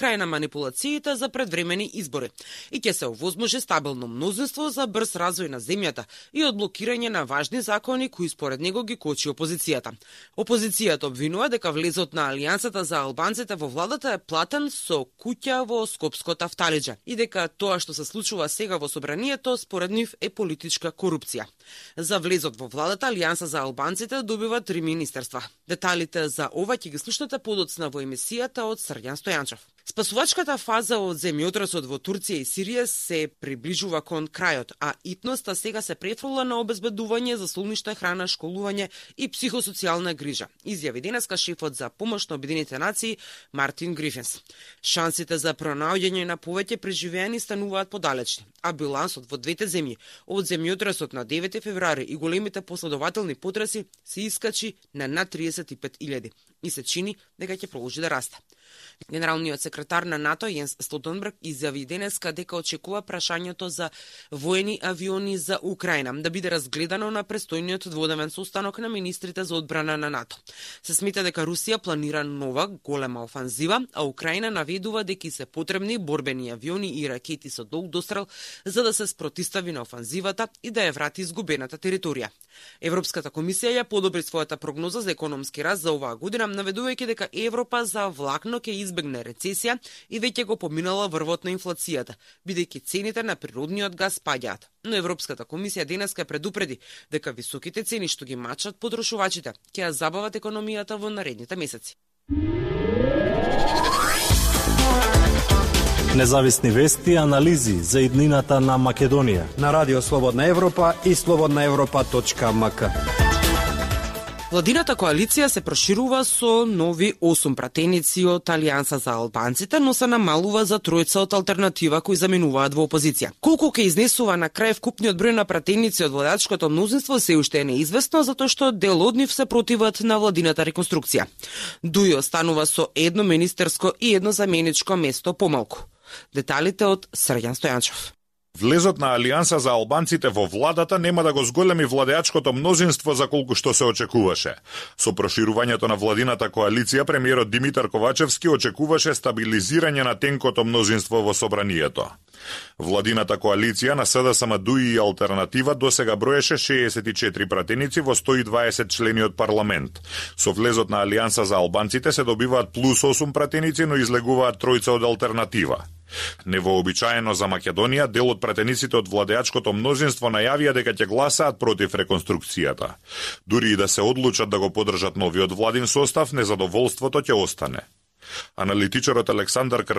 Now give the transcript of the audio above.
крај на манипулациите за предвремени избори и ќе се овозможи стабилно мнозинство за брз развој на земјата и одблокирање на важни закони кои според него ги кочи опозицијата. Опозицијата обвинува дека влезот на Алијансата за албанците во владата е платен со куќа во Скопското Афталиџе и дека тоа што се случува сега во собранието според нив е политичка корупција. За влезот во владата Алијанса за албанците добива 3 министерства. Деталите за ова ќе ги слушнете подоцна во емисијата од Срѓан Стојанчев. Спасувачката фаза од земјотресот во Турција и Сирија се приближува кон крајот, а итноста сега се префрла на обезбедување за солништа, храна, школување и психосоцијална грижа, изјави денеска шефот за помош на Обединетите нации Мартин Грифинс. Шансите за пронаоѓање на повеќе преживеани стануваат подалечни, а билансот во двете земји од земјотресот на 9 февруари и големите последователни потреси се искачи на над 35.000 и се чини дека ќе продолжи да расте. Генералниот секретар на НАТО Јенс Столтенберг изјави денеска дека очекува прашањето за воени авиони за Украина да биде разгледано на престојниот дводневен состанок на министрите за одбрана на НАТО. Се смета дека Русија планира нова голема офанзива, а Украина наведува дека се потребни борбени авиони и ракети со долг дострел за да се спротистави на офанзивата и да ја врати изгубената територија. Европската комисија ја подобри својата прогноза за економски раст за оваа година, наведувајќи дека Европа за влакно ќе избегне рецесија и веќе го поминала врвот на инфлацијата, бидејќи цените на природниот газ паѓаат. Но Европската комисија денеска предупреди дека високите цени што ги мачат потрошувачите ќе ја забават економијата во наредните месеци. Независни вести и анализи за иднината на Македонија на Радио Слободна Европа и slobodnaevropa.mk. Владината коалиција се проширува со нови 8 пратеници од Алијанса за албанците, но се намалува за тројца од алтернатива кои заменуваат во опозиција. Колку ќе изнесува на крај вкупниот број на пратеници од владачкото мнозинство се уште е неизвестно, затоа што дел од нив се противат на владината реконструкција. Дуј останува со едно министерско и едно заменичко место помалку. Деталите од Срѓан Стојанчев. Влезот на Алијанса за албанците во владата нема да го зголеми владеачкото мнозинство за колку што се очекуваше. Со проширувањето на владината коалиција, премиерот Димитар Ковачевски очекуваше стабилизирање на тенкото мнозинство во собранието. Владината коалиција на СДСМ, ДУИ и Алтернатива досега броеше 64 пратеници во 120 члени од парламент. Со влезот на Алијанса за албанците се добиваат плюс 8 пратеници, но излегуваат тројца од Алтернатива. Невообичаено за Македонија, дел од пратениците од владеачкото мнозинство најавија дека ќе гласаат против реконструкцијата. Дури и да се одлучат да го поддржат новиот владин состав, незадоволството ќе остане. Аналитичарот Александар